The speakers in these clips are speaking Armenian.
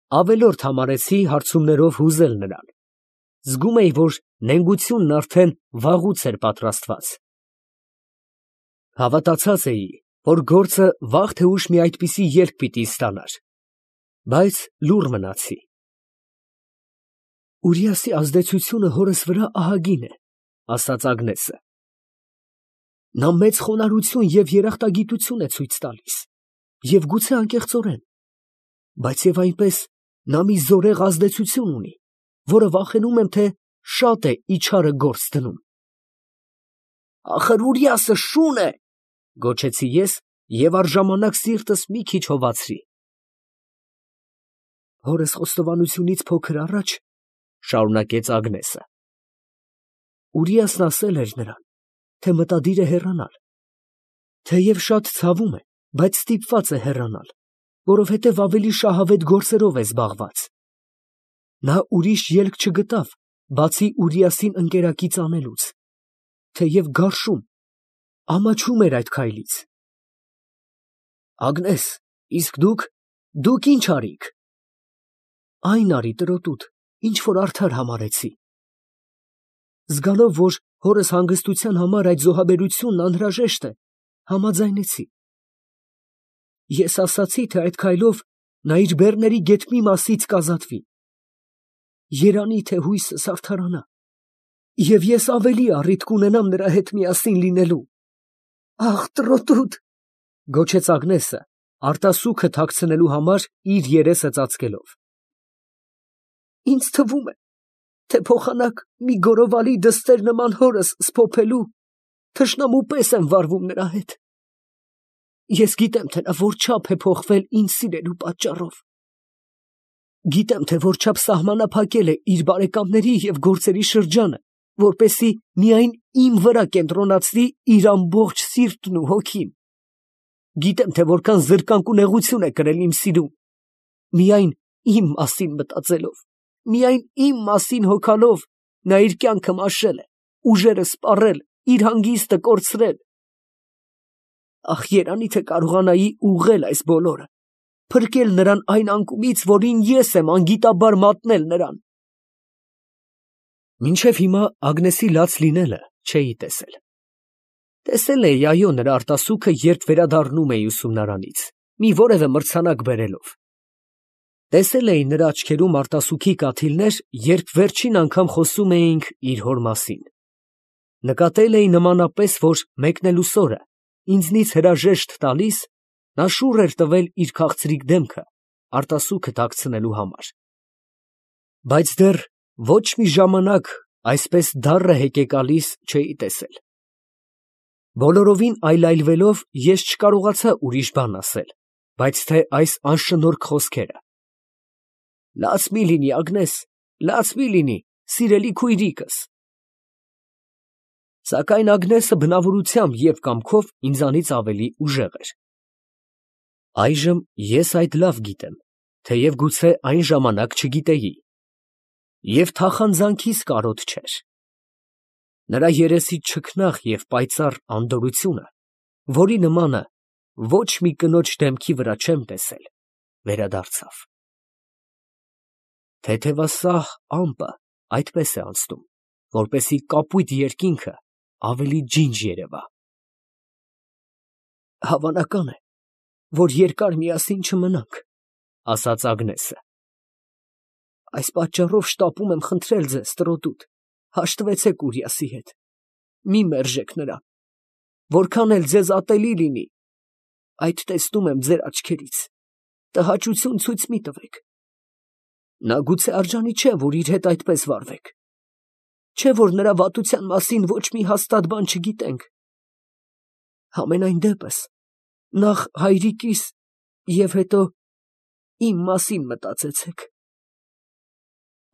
ավելորդ համարեցի հարցումներով հուզել նրան։ Զգում էի, որ նենգությունն արդեն վաղուց էր պատրաստված։ Հավատացած էի, որ գործը վաղ թե ուշ մի այդպիսի ելք պիտի ստանար, բայց լուռ մնացի։ Ուրիասի ազդեցությունը հորս վրա ահագին է, ասաց Ագնեսը։ Նա մեծ խոնարհություն և երախտագիտություն է ցույց տալիս, և գուցե անկեղծորեն, բայց և այնպես նա մի զորեղ ազդեցություն ունի, որը վախենում եմ, թե շատ է իչարը գործ դնում։ Ախր Ուրիասը շուն է, գոչեցի ես և առժամանակ սիրտս մի քիչ հովացրի։ Հորս խոստովանությունից փոքր առաջ, շարունակեց Ագնեսը, Ուրիասն ասել էր նրան, թե մտադիր է հեռանալ, թեև շատ ցավում է, բայց ստիպված է հեռանալ, որովհետև ավելի շահավետ գործերով է զբաղված։ Նա ուրիշ ելք չգտավ, բացի Ուրիասին ընկերակից անելուց, թեև գարշում, ամաչում էր այդ քայլից։ Ագնես, իսկ դուք ինչ արիք։ Այն արի, տրոտուտ, ինչ որ արդար համարեցի։ Զգալով, որ հորս հանգստության համար այդ զոհաբերությունն անհրաժեշտ է, համաձայնեցի։ Ես ասացի, թե այդ քայլով նա իր բեռների գետմի մասից կազատվի։ Երանի թե հույսս արդարանա, և ես ավելի առիթ կունենամ նրա հետ միասին լինելու։ Աղ, տրոտուտ, գոչեց Ագնեսը, արտասուքը թաքցնելու համար իր երեսը ծածկելով։ Ինձ թվում է, թե փոխանակ մի գորովալի դստեր նման հորս սփոփելու, թշնամու պես եմ վարվում նրա հետ։ Ես գիտեմ, թե նա որչափ է փոխվել ինձ սիրելու պատճառով։ Գիտեմ, թե որչափ սահմանափակել է իր բարեկամների և գործերի շրջանը, որպեսզի միայն իմ վրա կենտրոնացնի իր ամբողջ սիրտն ու հոգին։ Գիտեմ, թե որքան զրկանք ու նեղություն է կրել իմ սիրուն, միայն իմ մասին մտածելով, միայն իմ մասին հոգալով նա իր կյանքը մաշել է, ուժերը սպառել, իր հանգիստը կորցրել։ Ախ, երանի թե կարողանայի ուղղել այս բոլորը, փրկել նրան այն անկումից, որին ես եմ անգիտաբար մատնել նրան։ Մինչև հիմա Ագնեսի լաց լինելը չէի տեսել։ Տեսել էի, այո, նրա արտասուքը, երբ վերադառնում էի ուսումնարանից, մի որևէ մրցանակ բերելով։ Տեսել էի նրա աչքերում արտասուքի կաթիլներ, երբ վերջին անգամ խոսում էինք իր հոր մասին։ Նկատել էի նմանապես, որ մեկնելուս օրը, ինձնից հրաժեշտ տալիս, նա շուռ էր տվել իր քաղցրիկ դեմքը, արտասուքը թաքցնելու համար։ Բայց դեռ ոչ մի ժամանակ այսպես դառը հեկեկալիս չէի տեսել։ Բոլորովին այլայլվելով, ես չկարողացա ուրիշ բան ասել, բայց թե այս անշնորհք խոսքերը. Լաց մի լինի, Ագնես, լաց մի լինի, սիրելի քույրիկս։ Սակայն Ագնեսը բնավորությամբ և կամքով ինձանից ավելի ուժեղ էր։ Այժմ ես այդ լավ գիտեմ, թեև գուցե այն ժամանակ չգիտեի, և թախանձանքիս կարոտ չէր։ Նրա երեսի չքնաղ և պայծառ անդորրությունը, որի նմանը ոչ մի կնոջ դեմքի վրա չեմ տեսել, վերադարձավ։ Թեթևասահ ամպը այդպես է անցնում, որպեսզի կապույտ երկինքը ավելի ջինջ երևա։ Հավանական է, որ երկար միասին չմնանք, ասաց Ագնեսը։ Այս պատճառով շտապում եմ խնդրել ձեզ, տրոտուտ, հաշտվեցեք Ուրիասի հետ, մի մերժեք նրան, որքան էլ ձեզ ատելի լինի, այդ տեսնում եմ ձեր աչքերից, տհաճություն ցույց մի տվեք։ Նա գուցե արժանի չէ, որ իր հետ այդպես վարվեք, չէ, որ նրա վատության մասին ոչ մի հաստատ բան չգիտենք։ Համենայն դեպս, նախ հայրիկիս և հետո իմ մասին մտածեցեք։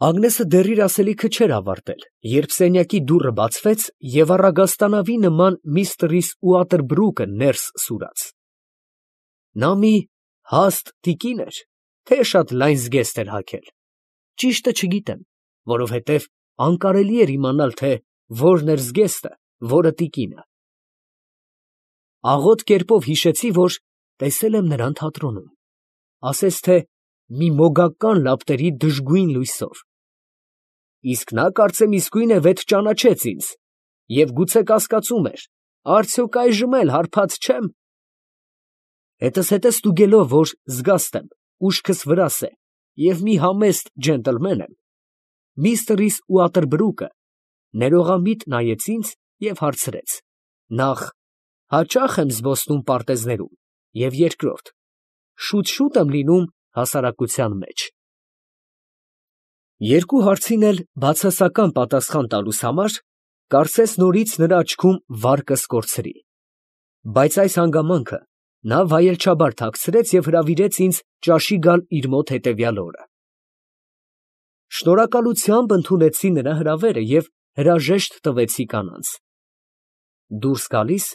Ագնեսը դեռ իր ասելիքը չէր ավարտել, երբ սենյակի դուռը բացվեց և առագաստանավի նման միստր Ուատերբրուկը ներս սուրաց։ Նա մի հաստ տիկին էր, թե շատ լայն զգեստ էր հագել, ճիշտը չգիտեմ, որովհետև անկարելի էր իմանալ, թե որն էր զգեստը, որը տիկինը։ Աղոտ կերպով հիշեցի, որ տեսել եմ նրան թատրոնում, ասես թե մի մոգական լապտերի դժգույն լույսով։ Իսկ նա կարծեմ իսկույն է վեթ ճանաչեց ինձ և գուցե կասկածում էր, արդյոք այժմ էլ հարբած չեմ։ Հետզհետե ստուգելով, որ զգաստ եմ, ուշքս վրաս է և մի համեստ ջենտլմեն եմ, միստր Ուատերբրուկը ներողամիտ նայեց ինձ և հարցրեց. նախ, հաճա՞խ եմ զբոսնում պարտեզներում, և երկրորդ, շուտ եմ լինում հասարակության մեջ։ Երկու հարցին էլ բացասական պատասխան տալուս համար, կարծես նորից նրա աչքում վարկս կորցրի, բայց այս հանգամանքը նա վայելչաբար թաքցրեց և հրավիրեց ինձ ճաշի գալ իր մոտ հետևյալ օրը։ Շնորհակալությամբ ընդունեցի նրա հրավերը և հրաժեշտ տվեցի կանանց։ Դուրս գալիս,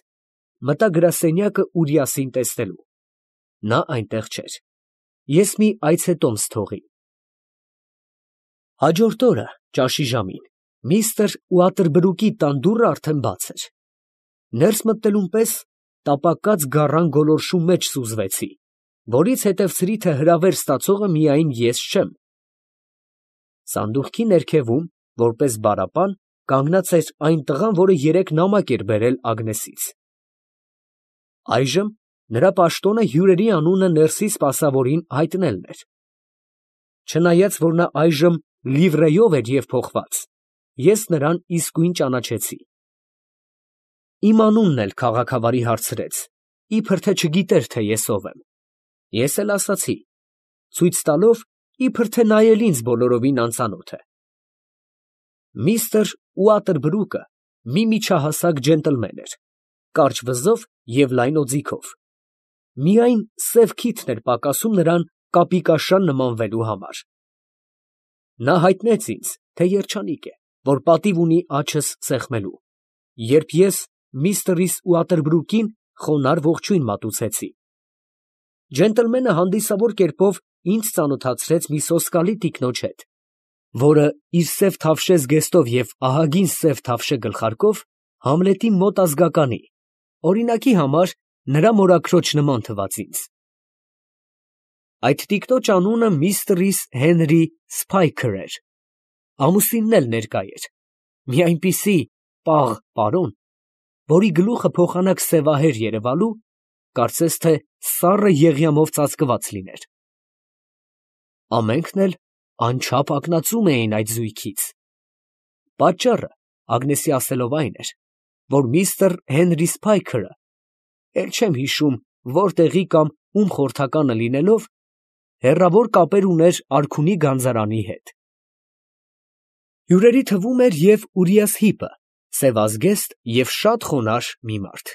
մտա գրասենյակը Ուրիասին տեսնելու։ Նա այնտեղ չէր։ Ես մի այցետոմս թողի։ Հաջորդ օրը ճաշի ժամին միստր Ուատերբրուկի տան դուռը արդեն բաց էր։ Ներս մտնելուն պես տապակած գառան գոլորշու մեջ սուզվեցի, որից հետևցրի, թե հրավեր ստացողը միայն ես չեմ։ Սանդուղքի ներքևում, որպես բարապան, կանգնած էր այն տղան, որը երեկ նամակ էր բերել Ագնեսից։ Այժմ նրա պաշտոնը հյուրերի անունը ներսի սպասավորին հայտնելն էր։ Չնայած որ նա այժմ լիվրեյով էր և փոխված, ես նրան իսկույն ճանաչեցի։ Իմ անունն էլ քաղաքավարի հարցրեց, իբր թե չգիտեր, թե ես ով եմ։ Ես էլ ասացի, ցույց տալով, իբր թե նա էլ ինձ բոլորովին անծանոթ է։ Միստր Ուատերբրուկը մի միջահասակ ջենտլմեն էր, կարճ վզով և լայն օձիքով։ Միայն սև քիթն էր պակասում նրան կապիկաշան նմանվելու համար։ Նա հայտնեց ինձ, թե երջանիկ է, որ պատիվ ունի աչս սեղմելու, երբ ես միստր Ուատերբրուկին խոնարհ ողջույն մատուցեցի։ Ջենտլմենը հանդիսավոր կերպով ինձ ծանոթացրեց մի սոսկալի տիկնոջ հետ, որը իր սև թավշե զգեստով և ահագին սև թավշե գլխարկով Համլետի մոտ ազգականի, օրինակի համար նրա մորաքրոջ նման թվաց ինձ։ Այդ տիկնոջ անունը միստր Հենրի Սփայքր էր, ամուսինն էլ ներկա էր, մի այնպիսի պաղ պարոն, որի գլուխը փոխանակ սևահեր երևալու, կարծես թե սառը եղյամով ծածկված լիներ։ Ամենքն էլ անչափ ակնածում էին այդ զույգից։ Պատճառը Ագնեսի ասելով այն էր, որ միստր Հենրի Սփայքերը, էլ չեմ հիշում որտեղի կամ ում խորհրդականը լինելով, հեռավոր կապեր ուներ արքունի գանձարանի հետ։ Հյուրերի թվում էր և Ուրիաս Հիպը, սևազգեստ և շատ խոնարհ մի մարդ։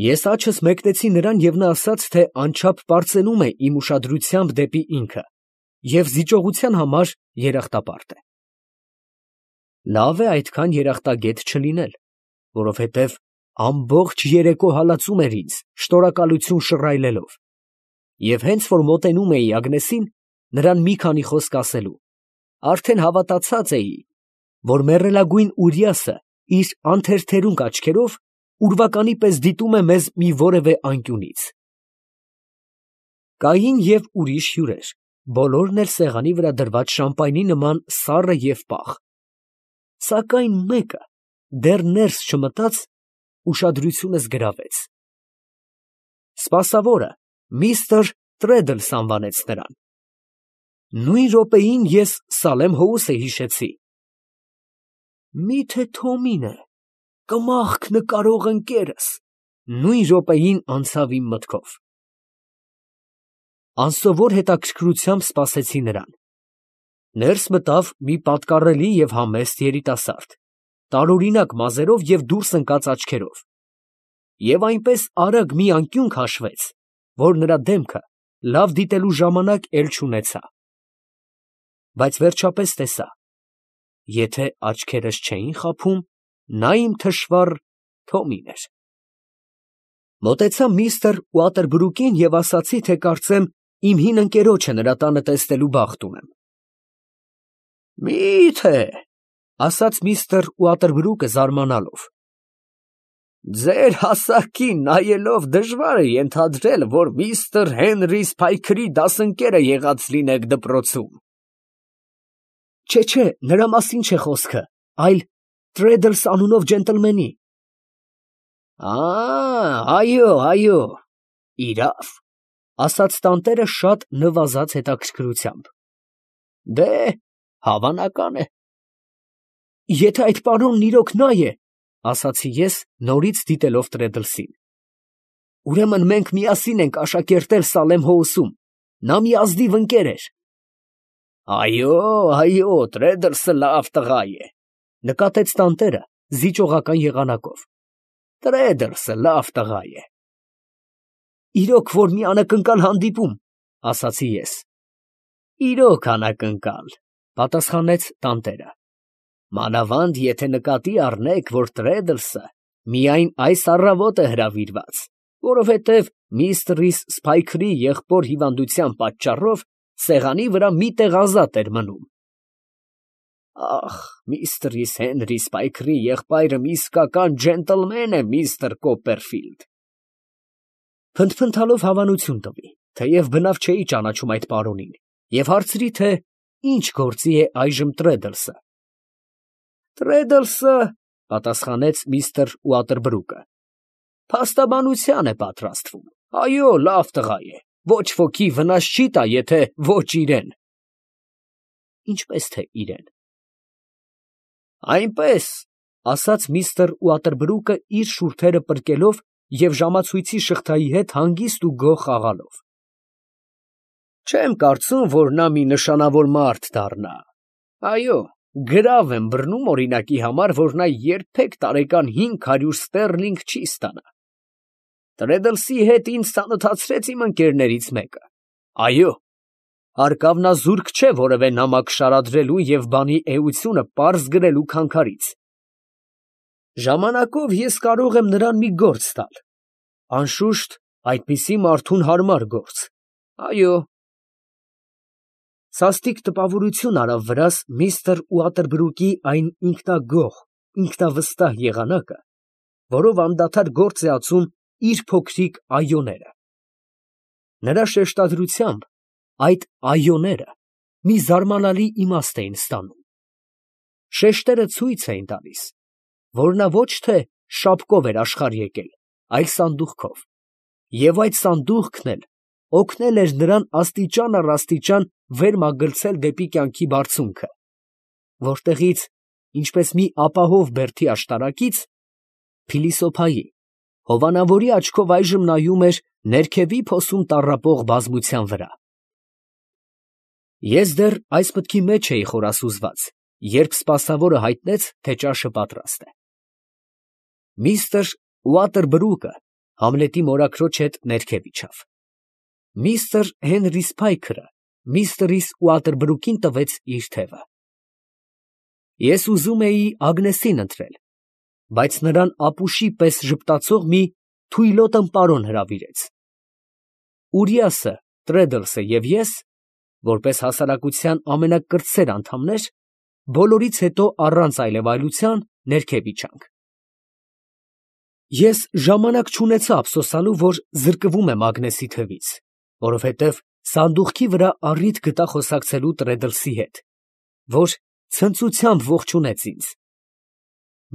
Ես աչքս մեկնեցի նրան և նա ասաց, թե անչափ պարծենում է իմ ուշադրությամբ դեպի ինքը և զիջողության համար երախտապարտ է։ Լավ է այդքան երախտագետ չլինել, որովհետև ամբողջ երեկո հալածում էր ինձ, շնորհակալություն շռայլելով, և հենց որ մոտենում էի Ագնեսին, նրան մի քանի խոսք ասելու, արդեն հավատացած էի, որ մեռելագույն Ուրիասը իր անթերթերունկ աչքերով ուրվականի պես դիտում է մեզ մի որևէ անկյունից։ Կային և ուրիշ հյուրեր, բոլորն էլ սեղանի վրա դրված շամպայնի նման սառը և պաղ, սակայն մեկը դեռ ներս չմտած ուշադրությունս գրավեց։ Սպասավորը միստր Տրեդլս անվանեց նրան։ Նույն րոպեին ես Սալեմ Հոուսը հիշեցի։ Մի՞թե Թոմին է, կմախք նկարող ընկերս, նույն րոպեին անցավ իմ մտքով։ Անսովոր հետաքրքրությամբ սպասեցի նրան։ Ներս մտավ մի պատկառելի և համեստ երիտասարդ, տարօրինակ մազերով և դուրս ընկած աչքերով, և այնպես արագ մի անկյուն քաշվեց, որ նրա դեմքը լավ դիտելու ժամանակ էլ չունեցա։ Բայց վերջապես տեսա. եթե աչքերս չէին խաբում, նա իմ թշվառ Թոմին էր։ Մոտեցա միստր Ուատերբրուկին և ասացի, թե կարծեմ իմ հին ընկերոջը նրա տանը տեսնելու բախտ ունեմ։ Մի՞թե, ասաց միստր Ուատերբրուկը զարմանալով։ Ձեր հասակին նայելով դժվար է ենթադրել, որ միստր Հենրի Սփայքրի դասընկերը եղած լինեք դպրոցում։ Չէ, նրա մասին չէ խոսքը, այլ Տրեդլս անունով ջենտլմենի։ Այո, իրավ, ասաց տանտերը շատ նվազած հետաքրքրությամբ։ Դե, հավանական է։ Եթե այդ պարոնն իրոք նա է, ասացի ես, նորից դիտելով Տրեդլսին, ուրեմն մենք միասին ենք աշակերտել Սալեմ Հոուսում, նա մի ազնիվ ընկեր էր։ Այո, Տրեդլսը լավ տղա է, նկատեց տանտերը զիջողական եղանակով։ Տրեդլսը լավ տղա է։ Իրոք որ մի անակնկալ հանդիպում, ասացի ես։ Իրոք անակնկալ, պատասխանեց տանտերը։ Մանավանդ եթե նկատի առնեք, որ Տրեդլսը միայն այս առավոտ է հրավիրված, որովհետև միստր Սփայքրի եղբոր հիվանդության պատճառով սեղանի վրա մի տեղ ազատ էր մնում։ Ախ, միստր Հենրի Սփայքրի եղբայրը մի իսկական ջենտլմեն է, միստր Կոպերֆիլդ։ Փնթփնթալով հավանություն տվի, թեև բնավ չէի ճանաչում այդ պարոնին, և հարցրի, թե ինչ գործի է այժմ Տրեդլսը։ Տրեդլսը, պատասխանեց միստր Ուատերբրուկը, փաստաբանության է պատրաստվում։ Այո, լավ տղա է, ոչ ոքի վնաս չի տա, եթե ոչ իրեն։ Ինչպես թե իրեն։ Այնպես, ասաց միստր Ուատերբրուկը իր շուրթերը պրկելով և ժամացույցի շղթայի հետ հանգիստ ու գոհ խաղալով։ Չեմ կարծում, որ նա մի նշանավոր մարդ դառնա։ Այո, գրավ եմ բռնում օրինակի համար, որ նա երբեք տարեկան 500 ստեռլինգ չի ստանա։ Տրեդլսի հետ ինձ ծանոթացրեց իմ ընկերներից մեկը։ Այո, հարկավնազուրկ չէ որևէ նամակ շարադրելու և բանի էությունը պարզ գրելու քանքարից։ Ժամանակով ես կարող եմ նրան մի գործ տալ։ Անշուշտ, այդպիսի մարդուն հարմար գործ։ Այո։ Սաստիկ տպավորություն արավ վրաս միստր Ուատերբրուկի այն ինքնագոհ, ինքնավստահ եղանակը, որով անդադար գործ է ածում իր փոքրիկ այոները։ Նրա շեշտադրությամբ այդ այոները մի զարմանալի իմաստ էին ստանում։ Շեշտերը ցույց էին տալիս, որ նա ոչ թե շապկով էր աշխարհ եկել, այլ սանդուղքով, և այդ սանդուղքն էլ օգնել էր նրան աստիճան առ աստիճան վեր մագլցել դեպի կյանքի բարձունքը, որտեղից, ինչպես մի ապահով բերդի աշտարակից, փիլիսոփայի, հովանավորի աչքով այժմ նայում էր ներքևի փոսում տառապող բազմության վրա։ Ես դեռ այս մտքի մեջ էի խորասուզված, երբ սպասավորը հայտնեց, թե ճաշը պատրաստ է։ Միստր Ուատերբրուկը Համլետի մորաքրոջ հետ ներքև իջավ։ Միստր Հենրի Սփայքրը միստր Ուատերբրուկին տվեց իր թևը։ Ես ուզում էի Ագնեսին ընտրել, բայց նրան ապուշի պես ժպտացող մի թույլոտ ըմպարոն հրավիրեց։ Ուրիասը, Տրեդլսը և ես, որպես հասարակության ամենակրտսեր անդամներ, բոլորից հետո առանց այլևայլության ներքև իջանք։ Ես ժամանակ չունեցա ափսոսանալու, որ զրկվում եմ Ագնեսի թևից, որովհետև սանդուղքի վրա առիթ գտա խոսակցելու Տրեդլսի հետ, որ ցնծությամբ ողջունեց ինձ։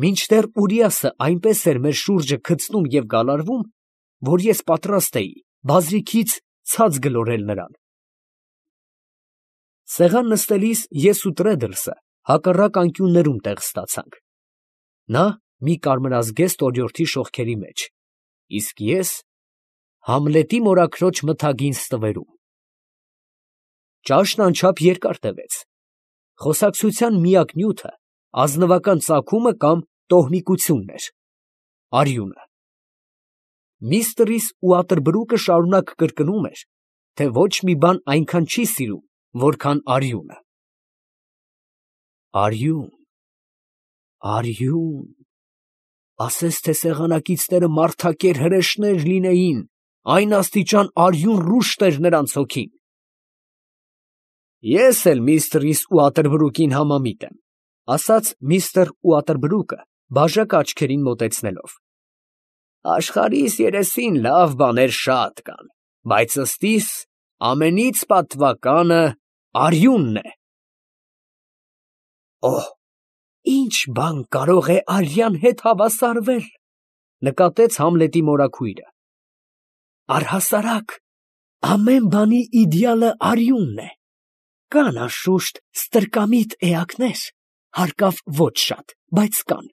Մինչդեռ Ուրիասը այնպես էր մեր շուրջը գցնում և գալարվում, որ ես պատրաստ էի բազրիքից ցած գլորել նրան։ Սեղան նստելիս ես ու Տրեդլսը հակառակ անկյուններում տեղ ստացանք։ Նա մի կարմրազգեստ օրիորդի շողքերի մեջ, իսկ ես Համլետի մորաքրոջ մթագին ստվերում։ Ճաշն անչափ երկար տևեց։ Խոսակցության միակ նյութը ազնվական ծագումը կամ տոհմիկությունն էր, արյունը։ Միստր Ուատերբրուկը շարունակ կրկնում էր, թե ոչ մի բան այնքան չի սիրում, որքան արյունը։ Արյուն, արյուն, ասես թե սեղանակիցները մարդակեր հրեշներ լինեին, այն աստիճան արյուն ռուշտ էր նրանց հոգին։ Ես էլ միստր Ուատերբրուկին համամիտ եմ, ասաց միստր Ուատերբրուկը բաժակը աչքերին մոտեցնելով։ Աշխարհիս երեսին լավ բաներ շատ կան, բայց ըստիս ամենից պատվականը արյունն է։ Օհ, ինչ բան կարող է արյան հետ հավասարվել, նկատեց Համլետի մորաքույրը։ Առհասարակ, ամեն բանի իդեալը արյունն է։ Կան անշուշտ ստրկամիտ էակներ, հարկավ ոչ շատ, բայց կան,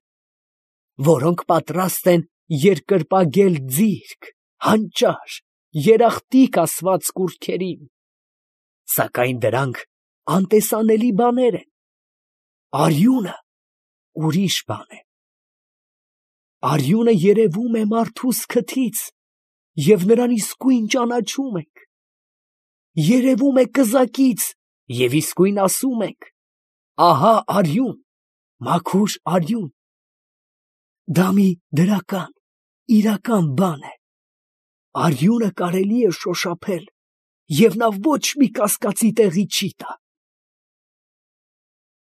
որոնք պատրաստ են երկրպագել ձիրք, հանճար, երախտիկ ասված կուռքերին, սակայն դրանք անտեսանելի բաներ են։ Արյունը ուրիշ բան է։ Արյունը երևում է մարդուս քթից, և նրան իսկույն ճանաչում ենք։ Երևում է կզակից, և իսկույն ասում ենք. ահա արյուն, մաքուր արյուն։ Դա մի դրական, իրական բան է։ Արյունը կարելի է շոշափել, և նա ոչ մի կասկածի տեղի չի տա։